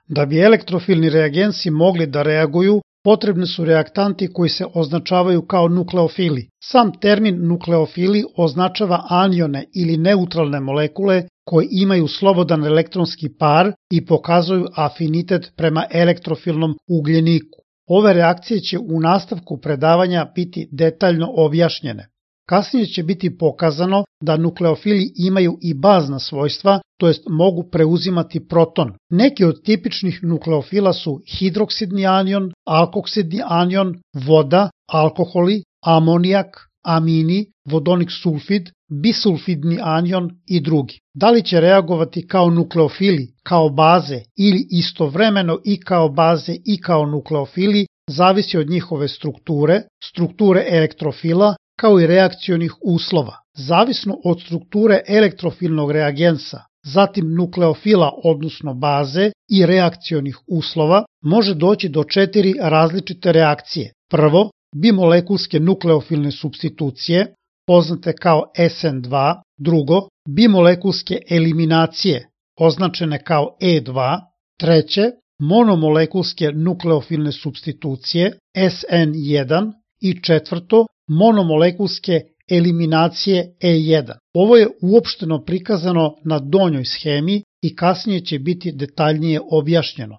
Da bi elektrofilni reagensi mogli da reaguju, potrebni su reaktanti koji se označavaju kao nukleofili. Sam termin nukleofili označava anione ili neutralne molekule koje imaju slobodan elektronski par i pokazuju afinitet prema elektrofilnom ugljeniku. Ove reakcije će u nastavku predavanja biti detaljno objašnjene. Kasnije će biti pokazano da nukleofili imaju i bazna svojstva, to jest mogu preuzimati proton. Neki od tipičnih nukleofila su hidroksidni anion, alkoksidni anion, voda, alkoholi, amonijak, amini, vodonik sulfid, bisulfidni anion i drugi. Da li će reagovati kao nukleofili, kao baze ili istovremeno i kao baze i kao nukleofili, zavisi od njihove strukture elektrofila, kao i reakcionih uslova. Zavisno od strukture elektrofilnog reagensa, zatim nukleofila odnosno baze i reakcionih uslova, može doći do 4 različite reakcije. Prvo, bimolekulske nukleofilne supstitucije, poznate kao SN2, drugo, bimolekulske eliminacije, označene kao E2, treće, monomolekulske nukleofilne supstitucije, SN1 i četvrto, monomolekulske eliminacije E1. Ovo je uopšteno prikazano na donjoj schemi i kasnije će biti detaljnije objašnjeno.